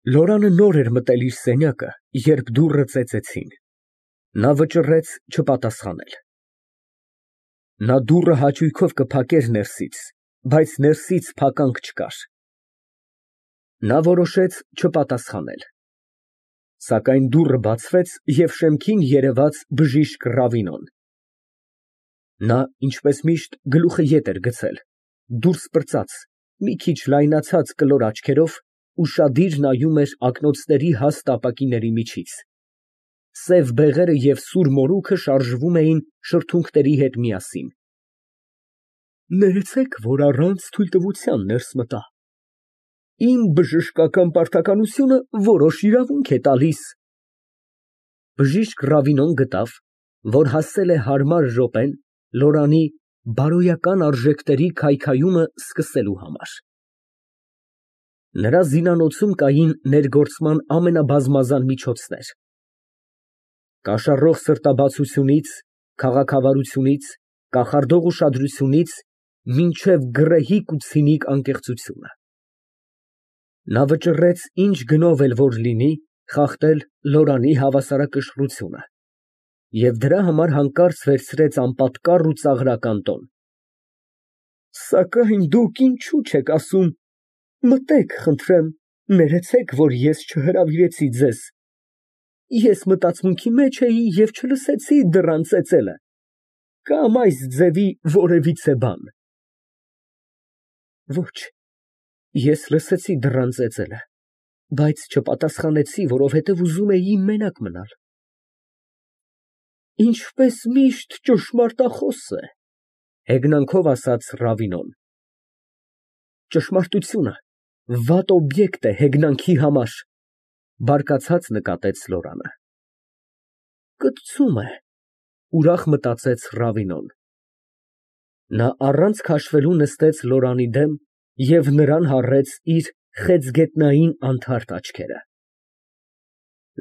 Լորանը նոր էր մտել իր սենյակը, երբ դուռը ծեծեցին։ Նա վճռեց չպատասխանել։ Նա դուռը հաճույքով կփակեր ներսից, բայց ներսից փականք չկար։ Նա որոշեց չպատասխանել։ Սակայն դուռը բացվեց, և շեմքին երևաց բժիշկ Ռավինոն։ Նա, ինչպես միշտ, գլուխը ետ էր գցել, դուրս պրծած, մի քիչ լայնացած կլոր աչքերով, ուշադիր նայում էր ակնոցների հաստ ապակիների միջից։ Սև բեղերը և սուր մորուքը շարժվում էին շրթունքների հետ միասին։ Ներեցեք, որ առանց թույլտվության ներս մտա։ Իմ բժշկական պարտականությունը որոշ իրավունք է տալիս։ Բժիշկ Ռավինոն գտավ, որ հասել է հարմար րոպեն Լորանի բարոյական արժեքների քայքայումը սկսելու համար։ Նրա զինանոցում կային ներգործման ամենաբազմազան միջոցներ. կաշառող սրտաբացությունից, քաղաքավարությունից, կախարդող ուշադրությունից մինչև գռեհիկ ու ցինիկ անկեղծությունը։ Նա վճռեց ինչ գնով էլ որ լինի խախտել Լորանի հավասարակշռությունը և դրա համար հանկարծ վերցրեց անպատկառ ու ծաղրական տոն։ Սակայն դուք ինչու չեք ասում, մտեք, խնդրեմ, ներեցեք, որ ես չհրավիրեցի ձեզ։ Ես մտածմունքի մեջ էի և չլսեցի դռան ծեծելը, կամ այս ձևի որևիցե բան։ Ոչ, ես լսեցի դռան ծեծելը, բայց չպատասխանեցի, որովհետև ուզում էի մենակ մնալ։ Ինչպես միշտ ճշմարտախոս է, հեգնանքով ասաց Ռավինոն։ Ճշմարտությունը վատ օբյեկտ է հեգնանքի համար, բարկացած նկատեց Լորանը։ Կծում է, ուրախ մտածեց Ռավինոն։ Նա առանց քաշվելու նստեց Լորանի դեմ և նրան հառեց իր խեցգետնային անթարթ աչքերը։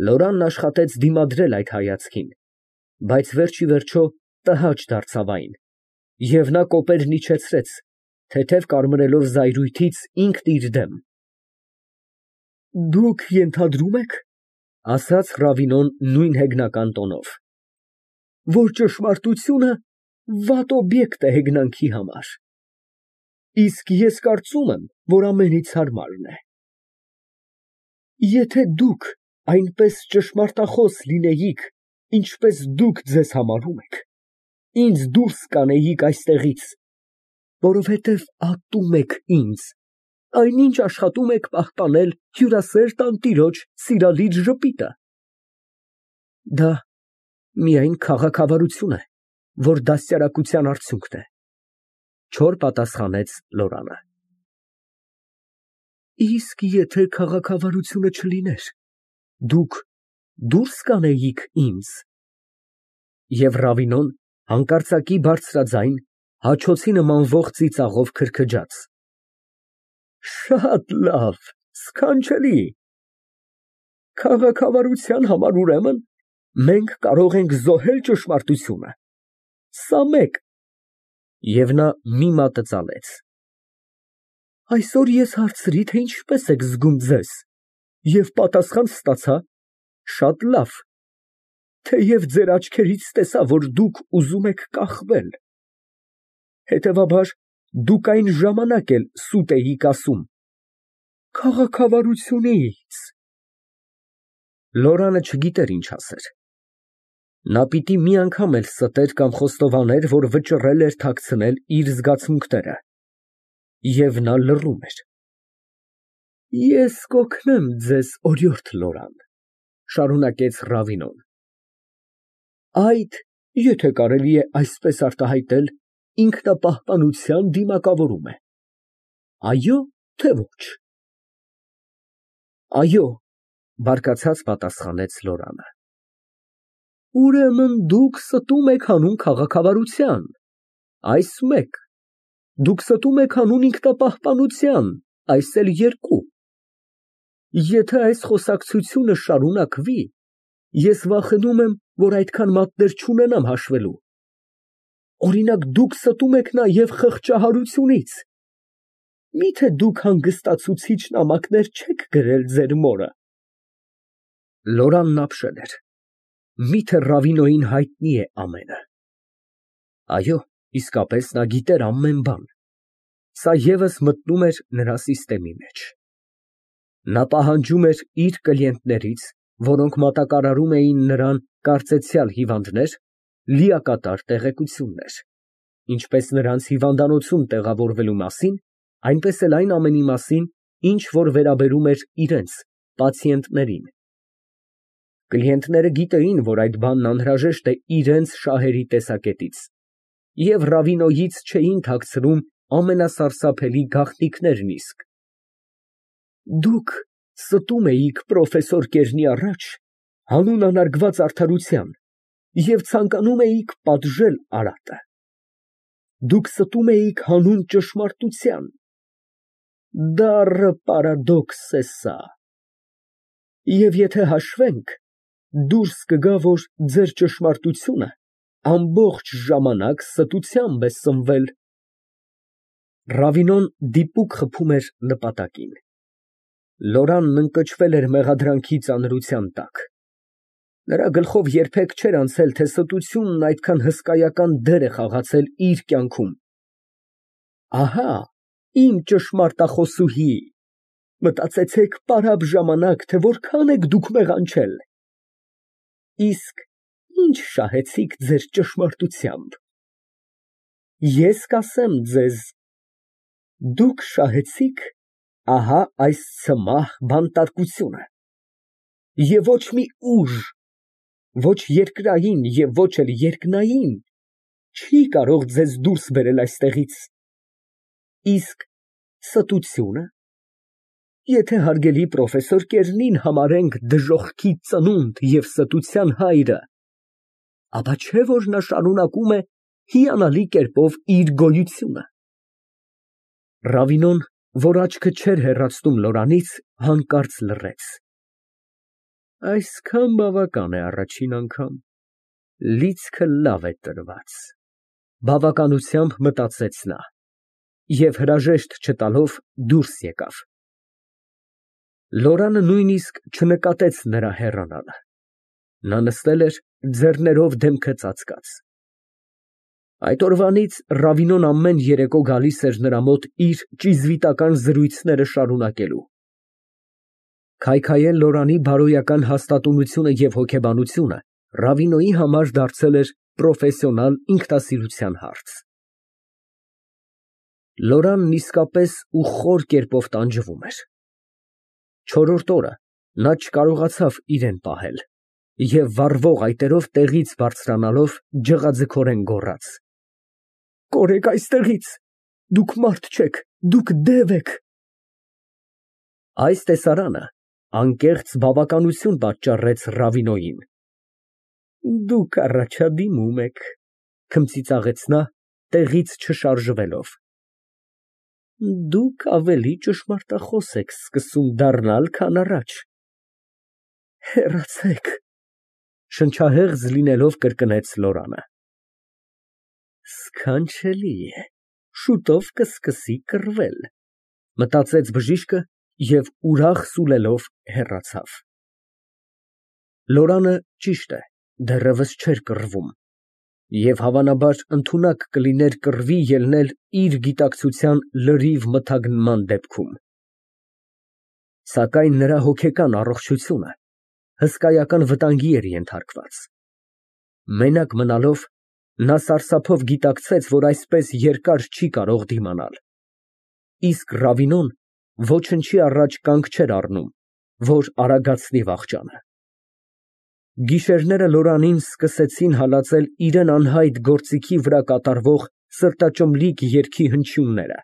Լորանն աշխատեց դիմադրել այդ հայացքին, բայց վերջիվերջո տհաճ դարձավ այն, և նա կոպերն իջեցրեց, թեթև կարմրելով զայրույթից ինքն իր դեմ։ Դուք ենթադրում եք, ասաց Ռավինոն նույն հեգնական տոնով, որ ճշմարտությունը վատ օբյեկտ է հեգնանքի համար, իսկ ես կարծում եմ, որ ամենից հարմարն է։ Եթե դուք այնպես ճշմարտախոս լինեիք, ինչպես դուք ձեզ համարում եք, ինձ դուրս կանեիք այստեղից, որովհետև ատում եք ինձ, այնինչ աշխատում եք պահպանել հյուրասեր տանտիրոջ սիրալիր ժպիտը։ Դա միայն քաղաքավարություն է, որ դաստիարակության արդյունքն է, չոր պատասխանեց Լորանը։ Իսկ եթե քաղաքավարությունը չլիներ, դուք դուրս կանեիք ինձ։ Եվ Ռավինոն հանկարծակի բարձրաձայն, հաչոցի նմանվող ծիծաղով քրքջաց. Շատ լավ, սքանչելի։ Քաղաքավարության համար, ուրեմն, մենք կարող ենք զոհել ճշմարտությունը։ Սա մեկ։ Եվ նա մի մատը ծալեց։ Այսօր ես հարցրի, թե ինչպես եք զգում ձեզ, և պատասխան ստացա. շատ լավ, թեև ձեր աչքերից տեսա, որ դուք ուզում եք կախվել։ Հետևաբար, դուք այն ժամանակ էլ սուտ էիք ասում. քաղաքավարությունից։ Լորանը չգիտեր ինչ ասեր։ Նա պիտի մի անգամ էլ ստեր կամ խոստովաներ, որ վճռել էր թաքցնել իր զգացմունքները, և նա լռում էր։ Ես կօգնեմ ձեզ, օրիորդ Լորան, շարունակեց Ռավինոն, այդ, եթե կարելի է այսպես արտահայտել, ինքնապահպանության դիմակավորում է։ Այո՞, թե ոչ։ Այո, բարկացած պատասխանեց Լորանը։ Ուրեմն դուք ստում եք հանուն քաղաքավարության, այս մեկ, դուք ստում եք հանուն ինքնապահպանության, այս էլ երկու։ Եթե այս խոսակցությունը շարունակվի, ես վախենում եմ, որ այդքան մատներ չունենամ հաշվելու։ Օրինակ, դուք ստում եք նաև խղճահարությունից։ Մի՞թե դուք հանգստացուցիչ նամակներ չեք գրել ձեր մորը։ Լորանն ապշել էր։ Միթե Ռավինոյին հայտնի է ամենը։ Այո, իսկապես նա գիտեր ամեն բան։ Սա ևս մտնում էր նրա սիստեմի մեջ։ Նա պահանջում էր իր կլիենտներից, որոնք մատակարարում էին նրան կարծեցյալ հիվանդներ, լիակատար տեղեկություններ, ինչպես նրանց հիվանդանոցում տեղավորվելու մասին, այնպես էլ այն ամենի մասին, ինչ որ վերաբերում էր իրենց պացիենտներին։ Կլիենտները գիտեին, որ այդ բանն անհրաժեշտ է իրենց շահերի տեսակետից, և Ռավինոյից չէին թաքցրում ամենասարսափելի գաղտնիքներն իսկ։ Դուք ստում էիք պրոֆեսոր Կերնի առաջ հանուն անարգված արդարության և ցանկանում էիք պատժել Արատը։ Դուք ստում էիք հանուն ճշմարտության։ Դառը պարադոքս է սա։ Եվ եթե հաշվենք, դուրս կգա, որ ձեր ճշմարտությունը ամբողջ ժամանակ ստությամբ է սնվել։ Ռավինոն դիպուկ խփում էր նպատակին։ Լորանն ընկճվել էր մեղադրանքի ծանրության տակ։ Նրա գլխով երբեք չէր անցել, թե ստությունն այդքան հսկայական դեր է խաղացել իր կյանքում։ Ահա իմ ճշմարտախոսուհի, մտածեցեք պարապ ժամանակ, թե որքան եք դուք մեղանչել։ Իսկ ինչ շահեցիք ձեր ճշմարտությամբ։ Ես կասեմ ձեզ, դուք շահեցիք ահա այս ցմահ բանտարկությունը, և ոչ մի ուժ, ոչ երկրային և ոչ էլ երկնային չի կարող ձեզ դուրս բերել այստեղից։ Իսկ ստությունը, եթե հարգելի պրոֆեսոր Կերնին համարենք դժոխքի ծնունդ և ստության հայրը, ապա չէ՞ որ նա շարունակում է հիանալի կերպով իր գոյությունը։ Ռավինոն, որ աչքը չէր հեռացնում Լորանից, հանկարծ լռեց։ Այսքան բավական է առաջին անգամ, լիցքը լավ է տրված, բավականությամբ մտածեց նա, և հրաժեշտ չտալով դուրս եկավ։ Լորանը նույնիսկ չնկատեց նրա հեռանալը։ Նա նստել էր, ձեռներով դեմքը ծածկած։ Այդ օրվանից Ռավինոն ամեն երեկո գալիս էր նրա մոտ իր ճիզվիտական զրույցները շարունակելու։ Քայքայել Լորանի բարոյական հաստատունությունը և հոգեբանությունը Ռավինոյի համար դարձել էր պրոֆեսիոնալ ինքնասիրության հարց։ Լորանն իսկապես ու խոր կերպով տանջվում էր։ Չորրորդ օրը նա չկարողացավ իրեն պահել և վառվող այտերով տեղից բարձրանալով ջղաձգորեն գոռաց. Կորեք այստեղից, դուք մարդ չեք, դուք դև եք։ Այս տեսարանը անկեղծ բավականություն պատճառեց Ռավինոյին։ Դուք առաջադիմում եք, քմծիծաղեց նա, տեղից չշարժվելով։ Դուք ավելի ճշմարտախոս եք սկսում դառնալ, քան առաջ։ Հեռացեք, շնչահեղձ լինելով կրկնեց Լորանը։ Սքանչելի է, շուտով կսկսի կռվել, մտածեց բժիշկը և ուրախ սուլելով հեռացավ։ Լորանը, ճիշտ է, դեռևս չէր կռվում, և հավանաբար ընդունակ կլիներ կռվի ելնել իր գիտակցության լրիվ մթագնման դեպքում։ Սակայն նրա հոգեկան առողջությունը հսկայական վտանգի էր ենթարկված։ Մենակ մնալով, նա սարսափով գիտակցեց, որ այսպես երկար չի կարող դիմանալ։ Իսկ Ռավինոն ոչնչի առաջ կանգ չէր առնում, որ արագացնի վախճանը։ Գիշերները Լորանին սկսեցին հալածել իրան անհայտ գործիքի վրա կատարվող սրտաճմլիկ երգի հնչյունները։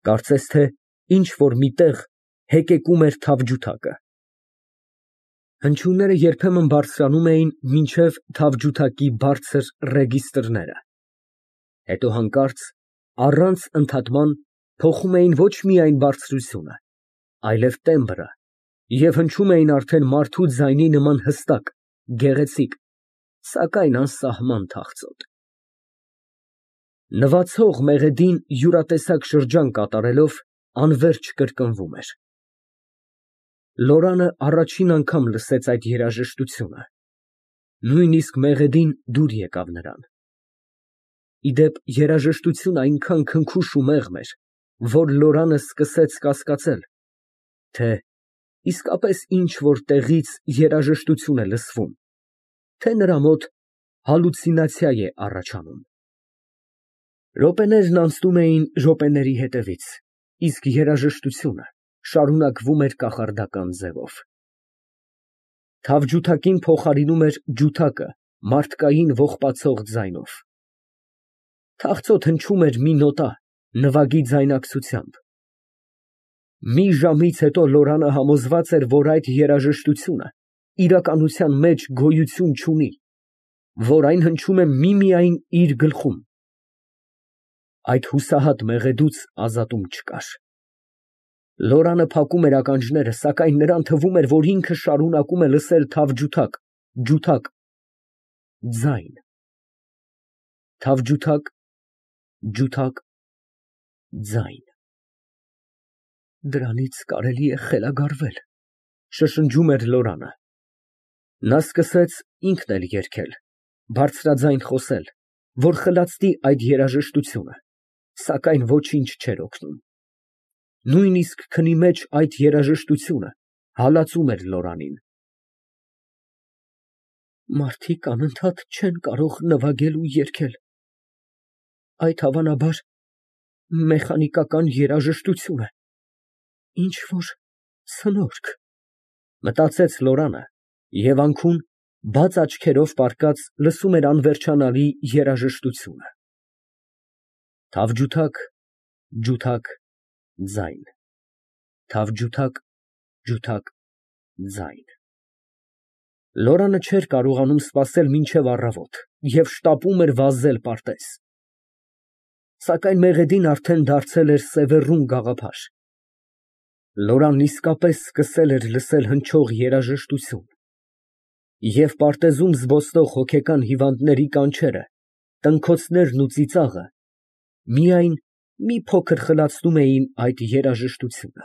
Կարծես թե ինչ֊որ մի տեղ հեկեկում էր թավջութակը։ Հնչյունները երբեմն բարձրանում էին մինչև թավջութակի բարձր ռեգիստրները, հետո հանկարծ, առանց ընդհատման, փոխում էին ոչ միայն բարձրությունը, այլև տեմբրը և հնչում էին արդեն մարդու ձայնի նման հստակ, գեղեցիկ, սակայն անսահման թախծոտ։ Նվացող մեղեդին յուրատեսակ շրջան կատարելով անվերջ կրկնվում էր։ Լորանը առաջին անգամ լսեց այդ երաժշտությունը, նույնիսկ մեղեդին դուր եկավ նրան։ Ի դեպ, երաժշտությունը այնքան քնքուշ ու մեղմ էր, որ Լորանը սկսեց կասկածել, թե իսկապես ինչ֊որ տեղից երաժշտություն է լսվում, թե նրա մոտ հալյուցինացիա է առաջանում։ Րոպեներն անցնում էին րոպեների հետևից, իսկ երաժշտությունը շարունակվում էր կախարդական ձևով։ Թավջութակին փոխարինում էր ջութակը մարդկային ողբացող ձայնով։ Թախծոտ հնչում էր մի նոտա նվագի ձայնակցությամբ։ Մի ժամից հետո Լորանը համոզված էր, որ այդ երաժշտությունը իրականության մեջ գոյություն չունի, որ այն հնչում է միմիայն իր գլխում։ Այդ հուսահատ մեղեդուց ազատում չկար։ Լորանը փակում էր ականջները, սակայն նրան թվում էր, որ ինքը շարունակում է լսել թավջութակ, ջութակ, ձայն։ Թավջութակ, ջութակ, ձայն։ Դրանից կարելի է խելագարվել, շշնջում էր Լորանը։ Նա սկսեց ինքն էլ երգել, բարձրաձայն խոսել, որ խլացնի այդ երաժշտությունը, սակայն ոչինչ չէր օգնում։ Նույնիսկ քնի մեջ այդ երաժշտությունը հալածում էր Լորանին։ Մարդիկ անընդհատ չեն կարող նվագել ու երգել, այդ հավանաբար մեխանիկական երաժշտություն է, ինչ֊որ ցնորք, մտածեց Լորանը և անքուն բաց աչքերով պառկած լսում էր անվերջանալի երաժշտությունը։ Թավջութակ, ջութակ, ձայն, թավջութակ, ջութակ, ձայն։ Լորանը չէր կարողանում սպասել մինչև առավոտ և շտապում էր վազել պարտեզ։ Սակայն մեղեդին արդեն դարձել էր սևեռուն գաղափար։ Լորանն իսկապես սկսել էր լսել հնչող երաժշտություն, և պարտեզում զբոսնող հոգեկան հիվանդների կանչերը, տնքոցներն ու ծիծաղը միայն մի փոքր խլացնում էին այդ երաժշտությունը։